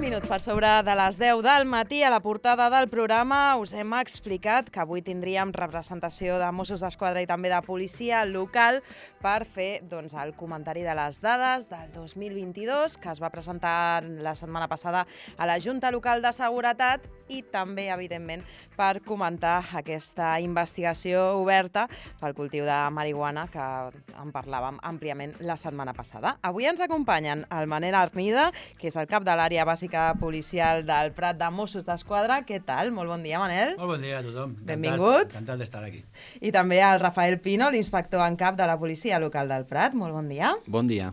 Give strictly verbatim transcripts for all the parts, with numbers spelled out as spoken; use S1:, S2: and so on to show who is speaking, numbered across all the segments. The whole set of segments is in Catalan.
S1: minuts per sobre de les deu del matí. A la portada del programa us hem explicat que avui tindríem representació de Mossos d'Esquadra i també de policia local per fer doncs, el comentari de les dades del dos mil vint-i-dos que es va presentar la setmana passada a la Junta Local de Seguretat i també, evidentment, per comentar aquesta investigació oberta pel cultiu de marihuana que en parlàvem àmpliament la setmana passada. Avui ens acompanyen el Manel Arnida, que és el cap de l'àrea bàsica policial del Prat de Mossos d'Esquadra. Què tal? Molt bon dia, Manel.
S2: Molt bon dia a tothom.
S1: Benvingut.
S2: Encantat d'estar aquí.
S1: I també el Rafael Pino, l'inspector en cap de la policia local del Prat. Molt bon dia.
S3: Bon dia.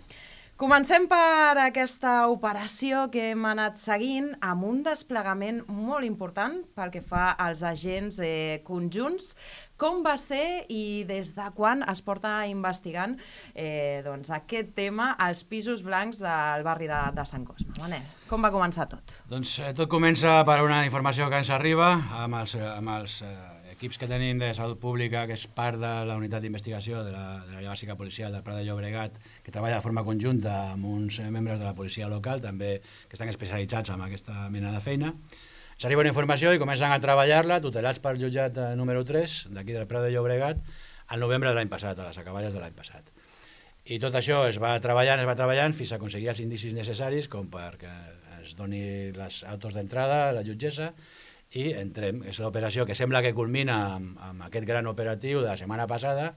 S1: Comencem per aquesta operació que hem anat seguint amb un desplegament molt important pel que fa als agents eh, conjunts. Com va ser i des de quan es porta investigant eh, doncs, aquest tema als pisos blancs del barri de, de Sant Cosme? Manel, com va començar tot?
S2: Doncs eh, tot comença per una informació que ens arriba amb els, amb els eh, equips que tenim de Salut Pública, que és part de la unitat d'investigació de la, de la bàsica policial del Prat de Llobregat, que treballa de forma conjunta amb uns membres de la policia local, també que estan especialitzats en aquesta mena de feina. S'arriba una informació i comencen a treballar-la, tutelats pel jutjat número tres, d'aquí del Prat de Llobregat, al novembre de l'any passat, a les acaballes de l'any passat. I tot això es va treballant, es va treballant, fins a aconseguir els indicis necessaris com perquè es doni les autos d'entrada a la jutgessa i entrem. És l'operació que sembla que culmina amb, amb aquest gran operatiu de la setmana passada,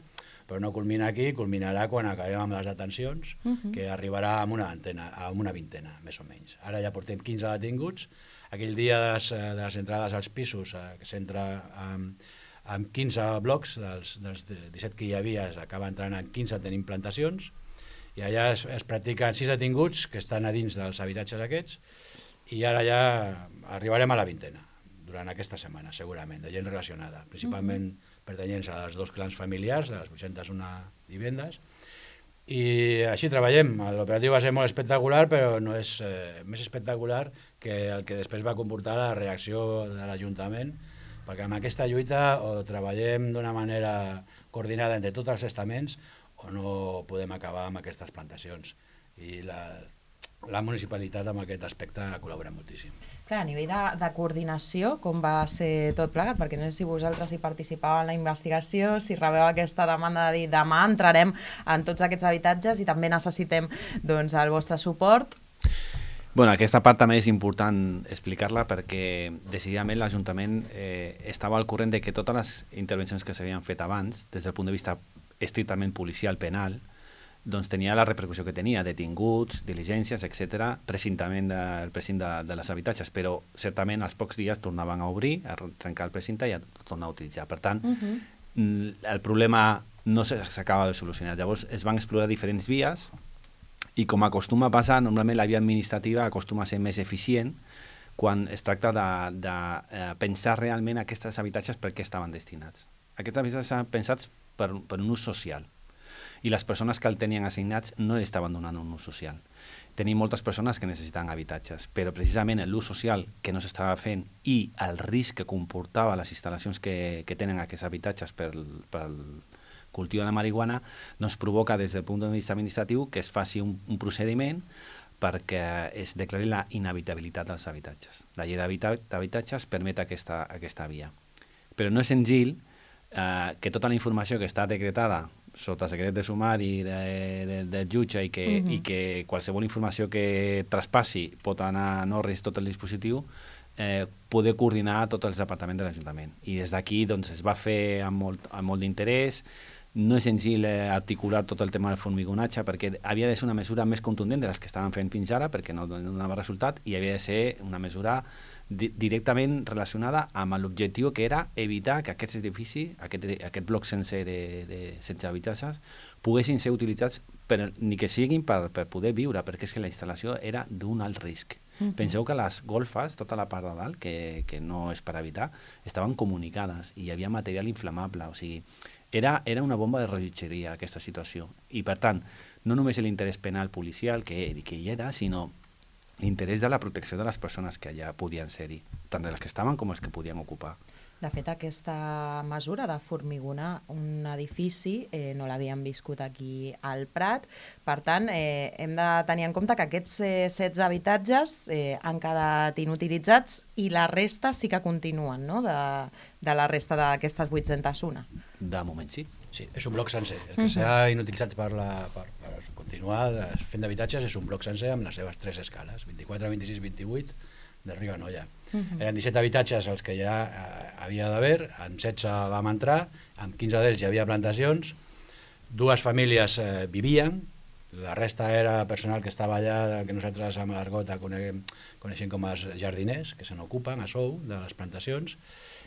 S2: però no culmina aquí, culminarà quan acabem amb les detencions, uh-huh. que arribarà amb una, antena, amb una vintena, més o menys. Ara ja portem quinze detinguts. Aquell dia de les, de les entrades als pisos, eh, que s'entra amb, amb quinze blocs, dels, dels disset que hi havia, s'acaba entrant en quinze tenim plantacions, i allà es, es practiquen sis detinguts que estan a dins dels habitatges aquests, i ara ja arribarem a la vintena, durant aquesta setmana, segurament, de gent relacionada, principalment uh-huh. pertanyents als dos clans familiars, de les vuit-centes una vivendes, i així treballem. L'operatiu va ser molt espectacular, però no és eh, més espectacular que el que després va comportar la reacció de l'Ajuntament, perquè amb aquesta lluita o treballem d'una manera coordinada entre tots els estaments o no podem acabar amb aquestes plantacions. I la, la municipalitat en aquest aspecte ha col·laborat moltíssim.
S1: Clar, a nivell de, de coordinació, com va ser tot plegat? Perquè no sé si vosaltres hi participàveu en la investigació, si rebeu aquesta demanda de dir demà entrarem en tots aquests habitatges i també necessitem doncs, el vostre suport.
S3: Bueno, aquesta part també és important explicar-la perquè decididament l'Ajuntament eh, estava al corrent de que totes les intervencions que s'havien fet abans, des del punt de vista estrictament policial penal, doncs tenia la repercussió que tenia, detinguts, diligències, etcètera, precintament del precinte de, de les habitatges, però certament als pocs dies tornaven a obrir, a trencar el precinte i a tornar a utilitzar. Per tant, uh-huh. el problema no s'acaba de solucionar. Llavors es van explorar diferents vies i com acostuma a passar, normalment la via administrativa acostuma a ser més eficient quan es tracta de, de eh, pensar realment aquests habitatges per què estaven destinats. Aquests habitatges estaven pensats per, per un ús social. I les persones que el tenien assignats no li estaven donant un ús social. Tenim moltes persones que necessiten habitatges, però precisament l'ús social que no s'estava fent i el risc que comportava les instal·lacions que, que tenen aquests habitatges per, per cultiu de la marihuana doncs provoca des del punt de vista administratiu que es faci un, un procediment perquè es declari la inhabitabilitat dels habitatges. La llei d'habitatges permet aquesta, aquesta via. Però no és senzill eh, que tota la informació que està decretada sota secret de sumari de, de, del jutge i que, uh-huh. i que qualsevol informació que traspassi pot anar en ordre tot el dispositiu, eh, poder coordinar tot els departaments de l'Ajuntament. I des d'aquí doncs, es va fer amb molt, amb molt d'interès. No és senzill eh, articular tot el tema del formigonatge perquè havia de ser una mesura més contundent de les que estaven fent fins ara perquè no donava resultat i havia de ser una mesura di directament relacionada amb l'objectiu que era evitar que aquests edificis, aquest, aquest bloc sencer de, de setze habitatges, poguessin ser utilitzats per, ni que siguin per, per poder viure, perquè és que la instal·lació era d'un alt risc. Uh-huh. Penseu que les golfes, tota la part de dalt, que, que no és per evitar, estaven comunicades i hi havia material inflamable, o sigui, Era, era una bomba de rellotgeria aquesta situació i per tant no només l'interès penal policial que, que hi era, sinó l'interès de la protecció de les persones que allà podien ser-hi, tant de les que estaven com les que podien ocupar.
S1: De fet, aquesta mesura de formigonar un edifici eh, no l'havíem viscut aquí al Prat. Per tant, eh, hem de tenir en compte que aquests eh, setze habitatges eh, han quedat inutilitzats i la resta sí que continuen, no?, de, de la resta d'aquestes vuit-centes u.
S3: De moment sí.
S2: Sí, és un bloc sencer. El que s'ha inutilitzat per, la, per, per continuar fent d'habitatges és un bloc sencer amb les seves tres escales, vint-i-quatre, vint-i-sis, vint-i-vuit, de Riu a Noia. Uh -huh. Eren disset habitatges els que ja eh, havia d'haver, en setze vam entrar, en quinze d'ells hi havia plantacions, dues famílies eh, vivien, la resta era personal que estava allà, que nosaltres amb l'argot coneguem, coneixem com els jardiners, que se n'ocupen a sou de les plantacions,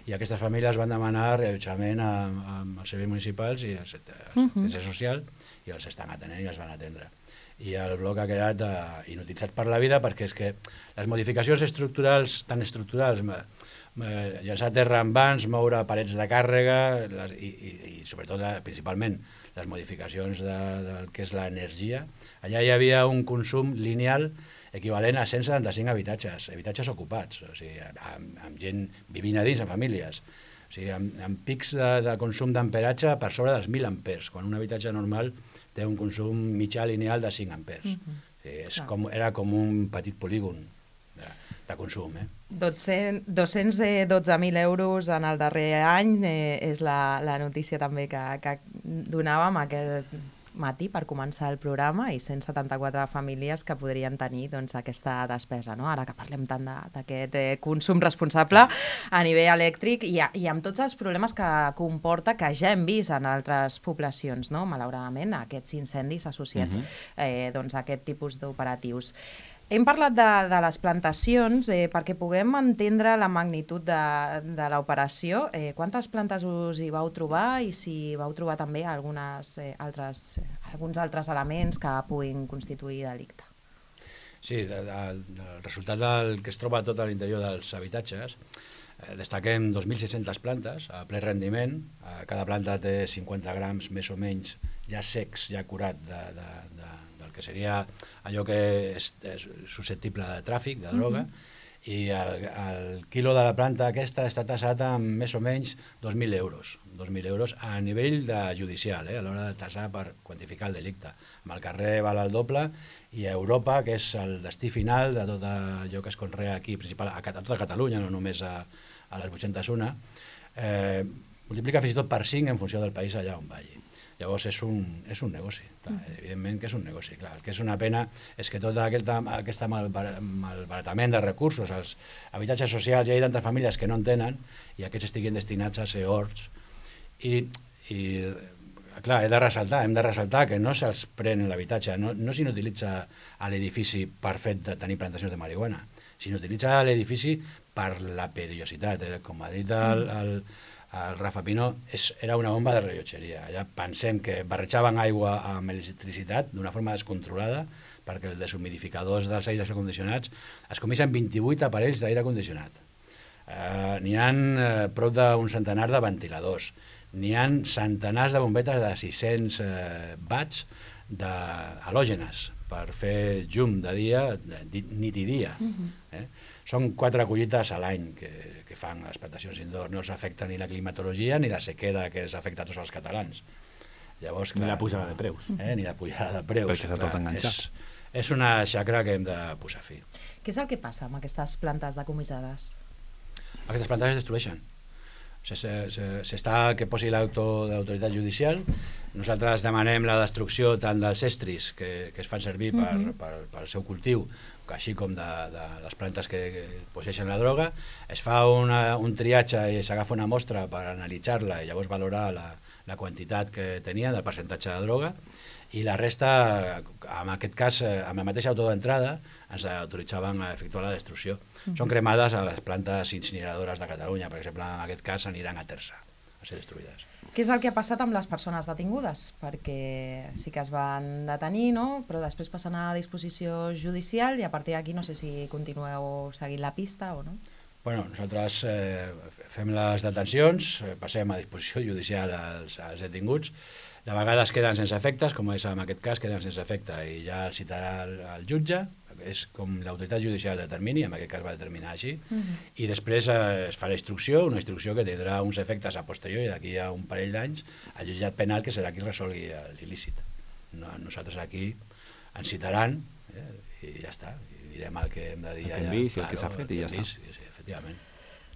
S2: i aquestes famílies van demanar reallotjament amb els serveis municipals i el sector social, i els estan atenent i els van atendre. I el bloc ha quedat uh, inutilitzat per la vida perquè és que les modificacions estructurals, tan estructurals, eh, llançar terra en vans, moure parets de càrrega les, i, i, i sobretot, la, principalment, les modificacions de, del que és l'energia, allà hi havia un consum lineal equivalent a cent setanta-cinc habitatges, habitatges ocupats, o sigui, amb, amb gent vivint a dins, en famílies, o sigui, amb, amb pics de, de consum d'amperatge per sobre dels mil ampers, quan un habitatge normal té un consum mitjà lineal de cinc ampers. Uh -huh. O sigui, és com, era com un petit polígon de, de consum. Eh?
S1: dos-cents dotze mil euros en el darrer any eh, és la, la notícia també que, que donàvem aquest matí per començar el programa, i cent setanta-quatre famílies que podrien tenir doncs, aquesta despesa, no? Ara que parlem tant d'aquest eh, consum responsable a nivell elèctric i, a, i amb tots els problemes que comporta, que ja hem vist en altres poblacions, no? Malauradament, aquests incendis associats uh-huh. eh, doncs, a aquest tipus d'operatius. Hem parlat de, de les plantacions eh, perquè puguem entendre la magnitud de, de l'operació. Eh, quantes plantes us hi vau trobar i si vau trobar també algunes, eh, altres, eh, alguns altres elements que puguin constituir delicte?
S2: Sí, de, de, del resultat del que es troba tot a l'interior dels habitatges, eh, destaquem dos mil sis-centes plantes a ple rendiment. Eh, cada planta té cinquanta grams més o menys ja secs, ja curat de, de, de que seria allò que és, és susceptible de tràfic, de droga, uh-huh. i el, el quilo de la planta aquesta està tassat amb més o menys dos mil euros. dos mil euros a nivell de judicial, eh, a l'hora de tassar per quantificar el delicte. Amb el carrer val el doble, i a Europa, que és el destí final de tot allò que es conrea aquí, principal, a, a tota Catalunya, no només a, a les vuit-centes u, eh, multiplica fins i tot per cinc en funció del país allà on vagi. Llavors és un, és un negoci, clar, evidentment que és un negoci. Clar. El que és una pena és que tot aquest, aquest malbaratament de recursos, els habitatges socials, hi ha tantes famílies que no en tenen i aquests estiguin destinats a ser horts. I, i clar, he de ressaltar, hem de ressaltar que no se'ls pren l'habitatge, no, no s'utilitza a l'edifici per fet de tenir plantacions de marihuana, s'utilitza a l'edifici per la perillositat. Eh? Com ha dit el, el el Rafa Pino, és, era una bomba de rellotgeria. Allà pensem que barrejaven aigua amb electricitat d'una forma descontrolada, perquè els deshumidificadors dels aires condicionats es comisen vint-i-vuit aparells d'aire condicionat. Eh, n'hi ha eh, prop d'un centenar de ventiladors, n'hi ha centenars de bombetes de sis-cents eh, watts halògenes per fer llum de dia, de, nit i dia. Eh? Són quatre collites a l'any que, que fan les plantacions indoor. No els afecta ni la climatologia ni la sequera que els afecta a tots els catalans. Llavors, clar,
S3: ni la pujada de preus.
S2: Eh? Ni la pujada de preus.
S3: Perquè està tot enganxat.
S2: És, és una xacra que hem de posar fi.
S1: Què és el que passa amb aquestes plantes decomissades?
S2: Aquestes plantes es destrueixen. S'està que posi l'autoritat judicial. Nosaltres demanem la destrucció tant dels estris que, que es fan servir per, uh-huh. per, per el seu cultiu, així com de, de les plantes que, que posseixen la droga. Es fa una, un triatge i s'agafa una mostra per analitzar-la i llavors valorar la, la quantitat que tenia del percentatge de droga, i la resta, en aquest cas, amb la mateixa auto d'entrada, ens autoritzaven a efectuar la destrucció. Uh-huh. Són cremades a les plantes incineradores de Catalunya, per exemple, en aquest cas aniran a Tersa, a ser destruïdes.
S1: Què és el que ha passat amb les persones detingudes? Perquè sí que es van detenir, no? Però després passen a disposició judicial i a partir d'aquí no sé si continueu seguint la pista o no.
S2: Bueno, nosaltres eh, fem les detencions, passem a disposició judicial als, als detinguts. De vegades queden sense efectes, com és en aquest cas, queden sense efecte i ja el citarà el, el jutge, és com l'autoritat judicial determini, en aquest cas va determinar així,
S1: Mhm.
S2: i després eh, es fa la instrucció, una instrucció que tindrà uns efectes a posteriori d'aquí a un parell d'anys al jutjat penal, que serà qui resolgui l'il·lícit. No, nosaltres aquí ens citaran eh, i ja està, i direm el que hem de dir
S3: el que hem
S2: allà.
S3: vist i el que s'ha fet i ja està.
S2: Sí, sí, efectivament.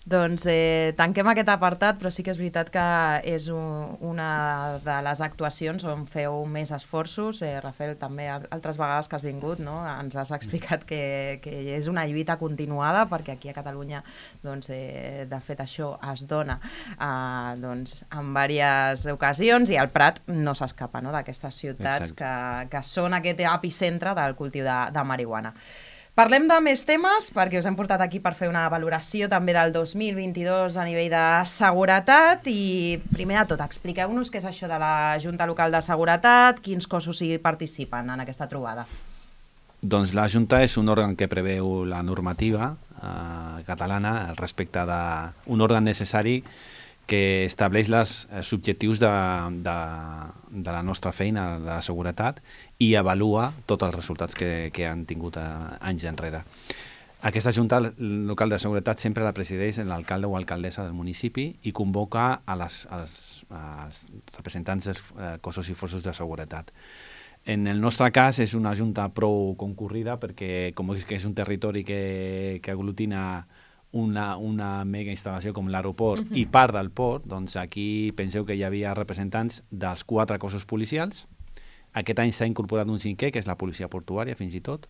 S1: Doncs eh, tanquem aquest apartat, però sí que és veritat que és un, una de les actuacions on feu més esforços. Eh, Rafael, també altres vegades que has vingut, no? Ens has explicat que, que és una lluita continuada, perquè aquí a Catalunya doncs, eh, de fet això es dona eh, doncs, en diverses ocasions, i el Prat no s'escapa, no?, d'aquestes ciutats que, que són aquest epicentre del cultiu de, de marihuana. Parlem de més temes, perquè us hem portat aquí per fer una valoració també del dos mil vint-i-dos a nivell de seguretat, i primer de tot, expliqueu-nos què és això de la Junta Local de Seguretat, quins cossos hi participen en aquesta trobada.
S3: Doncs la Junta és un òrgan que preveu la normativa eh, catalana respecte d'un òrgan necessari que estableix les, els objectius de, de, de la nostra feina de la seguretat i avalua tots els resultats que, que han tingut a, anys enrere. Aquesta Junta Local de Seguretat sempre la presideix l'alcalde o alcaldessa del municipi i convoca a les, als, als representants dels eh, cossos i forces de seguretat. En el nostre cas és una junta prou concurrida perquè com és que és un territori que, que aglutina una, una mega instal·lació com l'aeroport uh-huh. i part del port, doncs aquí penseu que hi havia representants dels quatre cossos policials. Aquest any s'ha incorporat un cinquè, que és la policia portuària, fins i tot.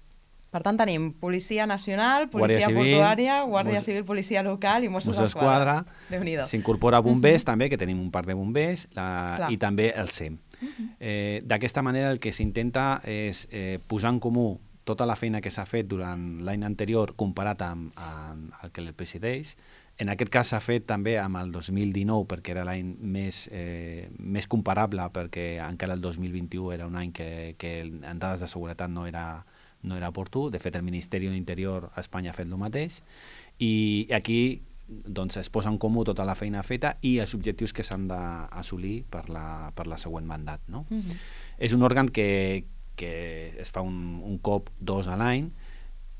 S1: Per tant, tenim Policia Nacional, Policia
S3: Civil,
S1: Portuària, Guàrdia
S3: Mos...
S1: Civil, Policia Local i Mossos
S3: d'Esquadra.
S1: Déu-n'hi-do.
S3: S'incorpora bombers, uh-huh. també, que tenim un parc de bombers, la... i també el S E M. Uh-huh. Eh, D'aquesta manera el que s'intenta és eh, posar en comú tota la feina que s'ha fet durant l'any anterior comparat amb, amb el que el presideix. En aquest cas s'ha fet també amb el dos mil dinou perquè era l'any més, eh, més comparable, perquè encara el dos mil vint-i-u era un any que, que en dades de seguretat no era, no era oportú. De fet, el Ministeri d'Interior a Espanya ha fet el mateix. I aquí doncs, es posa en comú tota la feina feta i els objectius que s'han d'assolir per la, per la següent mandat. No? Mm-hmm. És un òrgan que, que es fa un, un cop dos a l'any.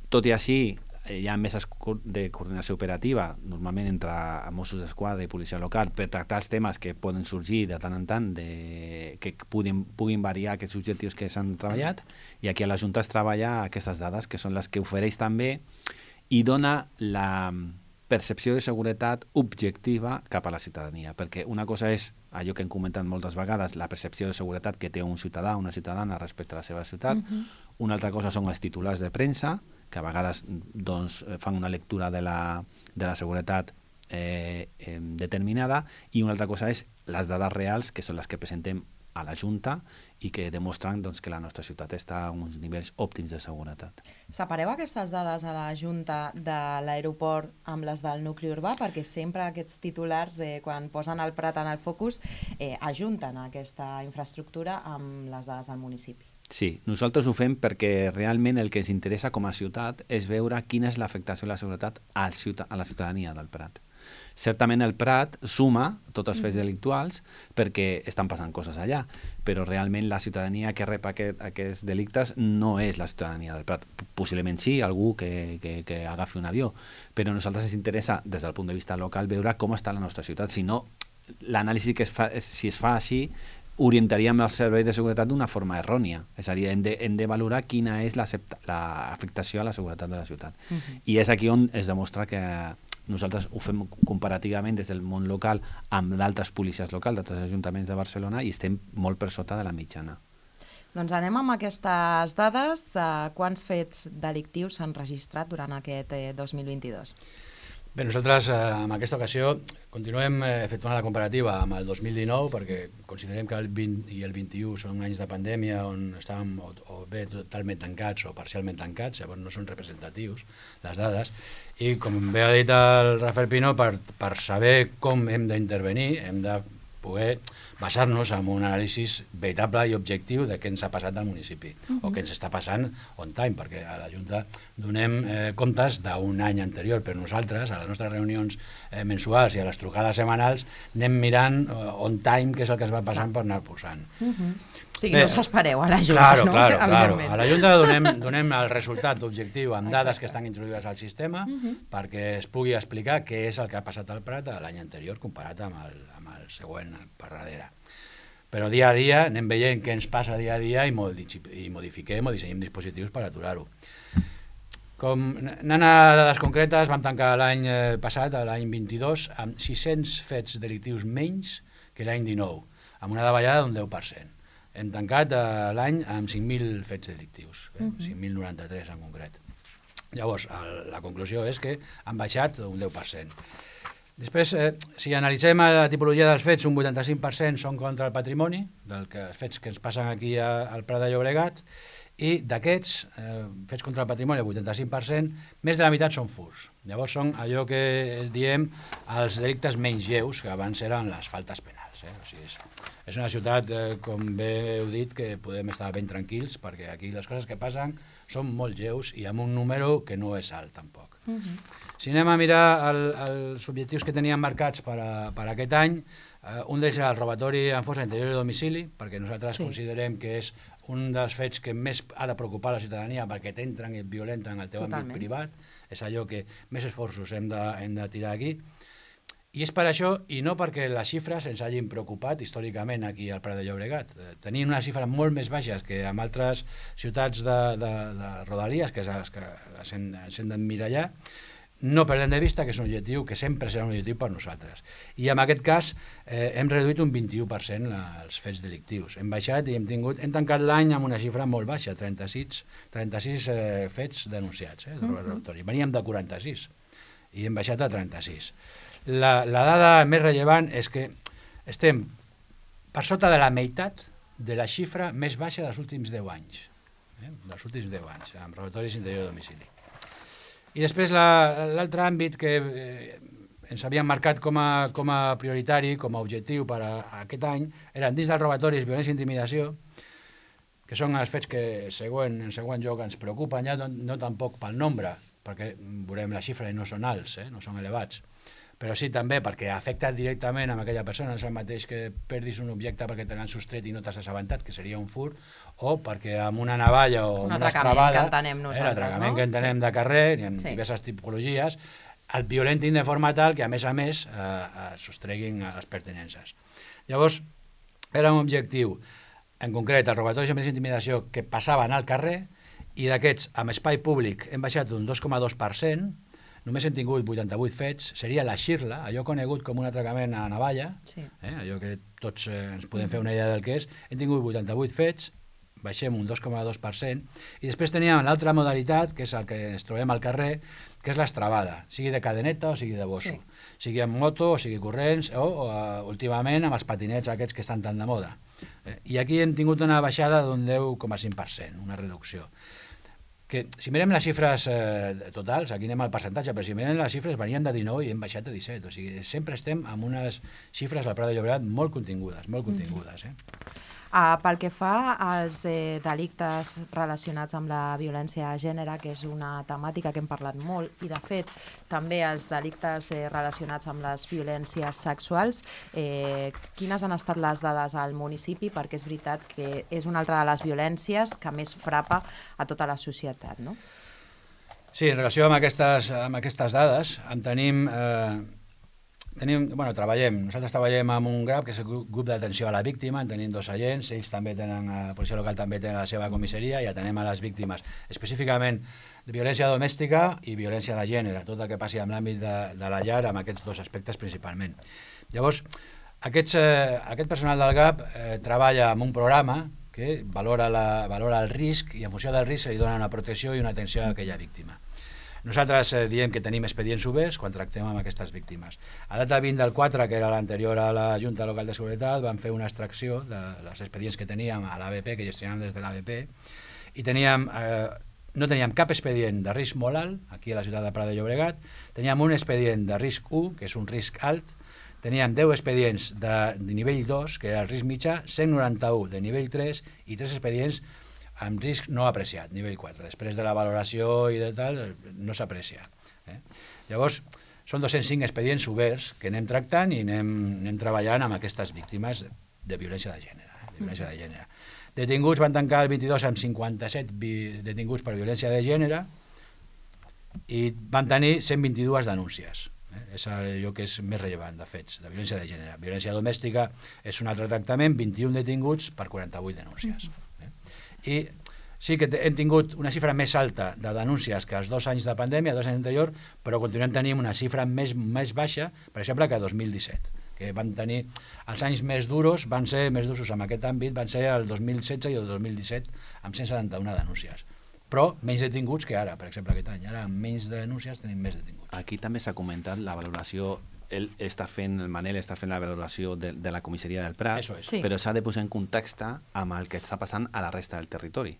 S3: Tot i així, hi ha meses de coordinació operativa, normalment entre Mossos d'Esquadra i policia local, per tractar els temes que poden sorgir de tant en tant, de, que puguin, puguin variar aquests objectius que s'han treballat, i aquí a la Junta es treballa aquestes dades, que són les que ofereix també i dona la percepció de seguretat objectiva cap a la ciutadania, perquè una cosa és allò que hem comentat moltes vegades, la percepció de seguretat que té un ciutadà o una ciutadana respecte a la seva ciutat, uh-huh. una altra cosa són els titulars de premsa, que a vegades doncs, fan una lectura de la, de la seguretat eh, eh, determinada, i una altra cosa és les dades reals, que són les que presentem a la Junta i que demostren doncs, que la nostra ciutat està a uns nivells òptims de seguretat.
S1: Separeu aquestes dades a la Junta de l'aeroport amb les del nucli urbà, perquè sempre aquests titulars, eh, quan posen el Prat en el focus, eh, ajunten aquesta infraestructura amb les dades del municipi.
S3: Sí, nosaltres ho fem perquè realment el que ens interessa com a ciutat és veure quina és l'afectació de la seguretat a la ciutadania del Prat. Certament el Prat suma tots els fets delictuals perquè estan passant coses allà, però realment la ciutadania que rep aquest, aquests delictes no és la ciutadania del Prat. Possiblement sí, algú que, que, que agafi un avió, però a nosaltres ens interessa des del punt de vista local veure com està la nostra ciutat. Si no, l'anàlisi que es fa, si es fa així, orientaríem el servei de seguretat d'una forma errònia. És a dir, hem de, hem de valorar quina és l'afectació a la seguretat de la ciutat. Uh-huh. I és aquí on es demostra que nosaltres ho fem comparativament des del món local amb d'altres policies locals, d'altres ajuntaments de Barcelona, i estem molt per sota de la mitjana.
S1: Doncs anem amb aquestes dades. Quants fets delictius s'han registrat durant aquest dos mil vint-i-dos?
S2: Bé, nosaltres eh, en aquesta ocasió continuem eh, efectuant la comparativa amb el dos mil dinou perquè considerem que el vint i el vint-i-u són anys de pandèmia on estàvem o, o bé totalment tancats o parcialment tancats, llavors no són representatius les dades, i com bé ha dit el Rafael Pino, per, per saber com hem d'intervenir hem de poder basar-nos en un anàlisi veritable i objectiu de què ens ha passat al municipi, uh-huh. o què ens està passant on time, perquè a la Junta donem eh, comptes d'un any anterior, però nosaltres, a les nostres reunions eh, mensuals i a les trucades setmanals, anem mirant eh, on time què és el que es va passant per anar posant.
S1: Uh-huh. O sigui, Bé, no s'espereu a la Junta,
S2: claro,
S1: no?
S2: Claro, claro. A la Junta donem, donem el resultat objectiu amb dades que estan introduïdes al sistema uh-huh. perquè es pugui explicar què és el que ha passat al Prat l'any anterior comparat amb el, amb el següent per darrere. Però dia a dia anem veient què ens passa dia a dia i, modi- i modifiquem o dissenyem dispositius per aturar-ho. Com anant a dades concretes, vam tancar l'any passat, l'any vint-i-dos, amb sis-cents fets delictius menys que l'any dinou, amb una davallada d'un deu per cent. Hem tancat eh, l'any amb cinc mil fets delictius, eh? uh-huh. cinc mil noranta-tres en concret. Llavors, el, la conclusió és que han baixat un deu per cent. Després, eh, si analitzem la tipologia dels fets, un vuitanta-cinc per cent són contra el patrimoni, dels que, fets que ens passen aquí a, al Prat de Llobregat, i d'aquests, eh, fets contra el patrimoni, el vuitanta-cinc per cent, més de la meitat són furts. Llavors són allò que diem els delictes menys lleus, que abans eren les faltes penals. Eh? O sigui, és, és una ciutat, eh, com bé heu dit, que podem estar ben tranquils, perquè aquí les coses que passen són molt lleus i amb un número que no és alt, tampoc. Uh-huh. Si anem a mirar el, els objectius que teníem marcats per, a, per aquest any, eh, un d'ells era el robatori en fossa interior de domicili, perquè nosaltres sí. considerem que és un dels fets que més ha de preocupar la ciutadania perquè t'entren i et violenten en el teu Totalment. àmbit privat. És allò que més esforços hem de, hem de tirar aquí. I és per això, i no perquè les xifres ens hagin preocupat històricament aquí al Prat de Llobregat. Tenim unes xifres molt més baixes que en altres ciutats de, de, de Rodalies, que és les que s'hem d'emmirallar. No perdem de vista que és un objectiu que sempre serà un objectiu per nosaltres. I en aquest cas eh, hem reduït un vint-i-u per cent els fets delictius. Hem baixat i hem tingut, hem tancat l'any amb una xifra molt baixa, trenta-sis, trenta-sis eh, fets denunciats. Eh, de uh-huh. Veníem de quaranta-sis i hem baixat a trenta-sis. La, la dada més rellevant és que estem per sota de la meitat de la xifra més baixa dels últims deu anys. Eh, dels últims deu anys, amb robatoris interior de domicili. I després l'altre àmbit que eh, ens havíem marcat com a, com a prioritari, com a objectiu per a, a aquest any, eren dins dels robatoris, violència i intimidació, que són els fets que següent, en següent lloc ens preocupen, ja no, no tampoc pel nombre, perquè veurem la xifra i no són alts, eh, no són elevats, però sí també perquè afecta directament a aquella persona, no és el mateix que perdis un objecte perquè te l'han sostret i no t'has assabentat, que seria un furt, o perquè amb una navalla o
S1: un
S2: una estrabada,
S1: eh,
S2: l'atracament
S1: no?
S2: que entenem sí. de carrer, i en sí. diverses tipologies, el violentin de forma tal que a més a més eh, eh, sostreguin les pertinences. Llavors, era un objectiu, en concret, el robatori i més intimidació que passaven al carrer, i d'aquests, amb espai públic, hem baixat un dos coma dos per cent, només hem tingut vuitanta-vuit fets, seria la xirla, allò conegut com un atracament a navalla, sí. eh, allò que tots eh, ens podem fer una idea del que és, hem tingut vuitanta-vuit fets, baixem un dos coma dos per cent, i després teníem l'altra modalitat, que és el que ens trobem al carrer, que és l'estrabada, sigui de cadeneta o sigui de bosso, sí. sigui amb moto o sigui corrents, o, o uh, últimament amb els patinets aquests que estan tan de moda. Eh, I aquí hem tingut una baixada d'un deu coma cinc per cent, una reducció. Que si mirem les xifres eh, totals, aquí anem al percentatge, però si mirem les xifres venien de dinou i hem baixat a disset, o sigui, sempre estem amb unes xifres al Prat de Llobregat molt contingudes, molt contingudes. Eh?
S1: Uh, pel que fa als eh, delictes relacionats amb la violència de gènere, que és una temàtica que hem parlat molt, i de fet també els delictes eh, relacionats amb les violències sexuals, eh, quines han estat les dades al municipi? Perquè és veritat que és una altra de les violències que més frapa a tota la societat, no?
S2: Sí, en relació amb aquestes, amb aquestes dades, en tenim... Eh, Tenim, bueno, treballem, nosaltres treballem amb un GRAP, que és el grup d'atenció a la víctima, en tenim dos agents, ells també tenen, la policia local també té la seva comissaria i atenem a les víctimes, específicament de violència domèstica i violència de gènere, tot el que passi en l'àmbit de, de la llar, amb aquests dos aspectes principalment. Llavors, aquests, eh, aquest personal del GAP eh, treballa amb un programa que valora, la, valora el risc i en funció del risc se li dona una protecció i una atenció a aquella víctima. Nosaltres eh, diem que tenim expedients oberts quan tractem amb aquestes víctimes. A data vint del quatre, que era l'anterior a la Junta Local de Seguretat, vam fer una extracció dels expedients que teníem a l'A B P, que gestionàvem des de l'A B P, i teníem, eh, no teníem cap expedient de risc molt alt, aquí a la ciutat de Prat de Llobregat, teníem un expedient de risc u, que és un risc alt, teníem deu expedients de, de nivell dos, que era el risc mitjà, cent noranta-un de nivell tres i tres expedients amb risc no apreciat, nivell quatre. Després de la valoració i de tal, no s'aprecia. Eh? Llavors, són dos-cents cinc expedients oberts que anem tractant i anem, anem treballant amb aquestes víctimes de violència de gènere. Eh? De violència de gènere. Detinguts van tancar el vint-i-dos amb cinquanta-set detinguts per violència de gènere i van tenir cent vint-i-dues denúncies. Eh? És allò que és més rellevant de fets, de violència de gènere. Violència domèstica és un altre tractament, vint-i-un detinguts per quaranta-vuit denúncies. Eh? I sí que hem tingut una xifra més alta de denúncies que els dos anys de pandèmia, dos anys anterior, però continuem tenint una xifra més, més baixa, per exemple, que dos mil disset, que van tenir els anys més duros, van ser més durs en aquest àmbit, van ser el dos mil setze i el dos mil disset, amb cent setanta-una denúncies. Però menys detinguts que ara, per exemple, aquest any. Ara, amb menys denúncies, tenim més detinguts.
S3: Aquí també s'ha comentat la valoració. Ell està fent, el Manel està fent la valoració de, de la comissaria del Prat,
S2: sí.
S3: Però s'ha de posar en context amb el que està passant a la resta del territori.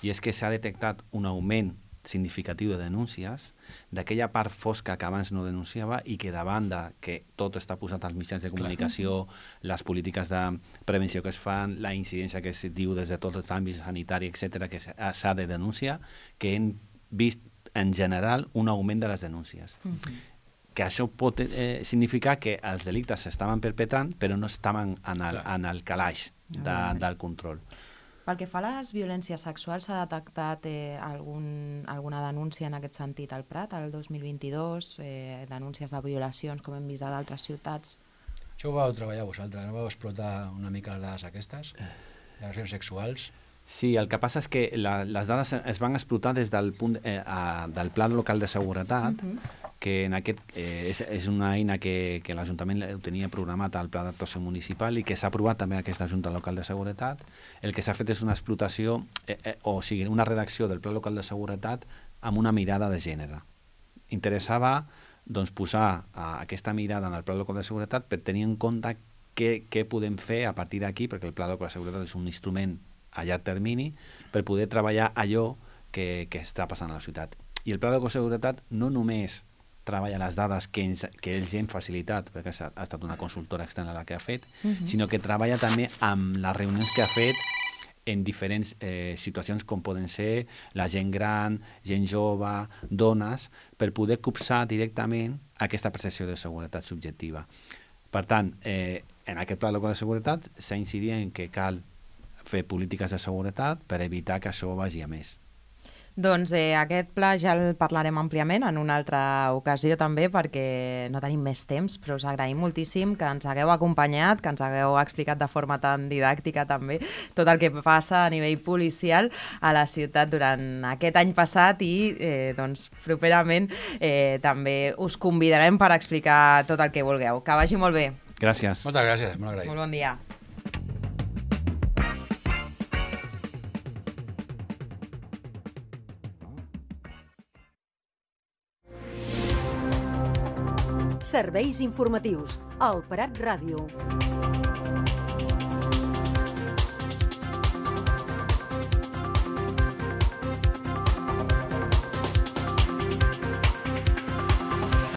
S3: I és que s'ha detectat un augment significatiu de denúncies d'aquella part fosca que abans no denunciava i que davant de que tot està posat als mitjans de comunicació, clar, les polítiques de prevenció que es fan, la incidència que es diu des de tots els àmbits sanitari, etcètera, que s'ha de denunciar, que hem vist en general un augment de les denúncies. Mm-hmm. Que això pot eh, significar que els delictes s'estaven perpetrant però no estaven en el, en el calaix de, del control.
S1: Pel que fa a les violències sexuals, s'ha detectat eh, algun, alguna denúncia en aquest sentit al Prat, el dos mil vint-i-dos, eh, denúncies de violacions com hem vist a d'altres ciutats?
S2: Això ho vau treballar vosaltres, no vau explotar una mica les dades aquestes, de agressions sexuals?
S3: Sí, el que passa és que la, les dades es van explotar des del punt eh, a, del Pla Local de Seguretat, uh-huh. que en aquest, eh, és, és una eina que, que l'Ajuntament ho tenia programat al Pla d'Actuació Municipal i que s'ha aprovat també aquesta Junta Local de Seguretat. El que s'ha fet és una explotació, eh, eh, o sigui, una redacció del Pla Local de Seguretat amb una mirada de gènere. Interessava doncs, posar eh, aquesta mirada en el Pla Local de Seguretat per tenir en compte què, què podem fer a partir d'aquí, perquè el Pla Local de Seguretat és un instrument a llarg termini per poder treballar allò que, que està passant a la ciutat. I el Pla de Seguretat no només treballa les dades que, ens, que ells hem facilitat, perquè ha estat una consultora externa la que ha fet, uh-huh. sinó que treballa també amb les reunions que ha fet en diferents eh, situacions com poden ser la gent gran, gent jove, dones, per poder copsar directament aquesta percepció de seguretat subjectiva. Per tant, eh, en aquest Pla de Seguretat s'ha incidit en que cal fer polítiques de seguretat per evitar que això vagi a més.
S1: Doncs eh, aquest pla ja el parlarem àmpliament en una altra ocasió també perquè no tenim més temps, però us agraïm moltíssim que ens hagueu acompanyat, que ens hagueu explicat de forma tan didàctica també tot el que passa a nivell policial a la ciutat durant aquest any passat i eh, doncs, properament eh, també us convidarem per explicar tot el que vulgueu. Que vagi molt bé.
S3: Gràcies.
S2: Moltes gràcies, molt agraït.
S1: Molt bon dia.
S4: Serveis informatius. El Prat Ràdio.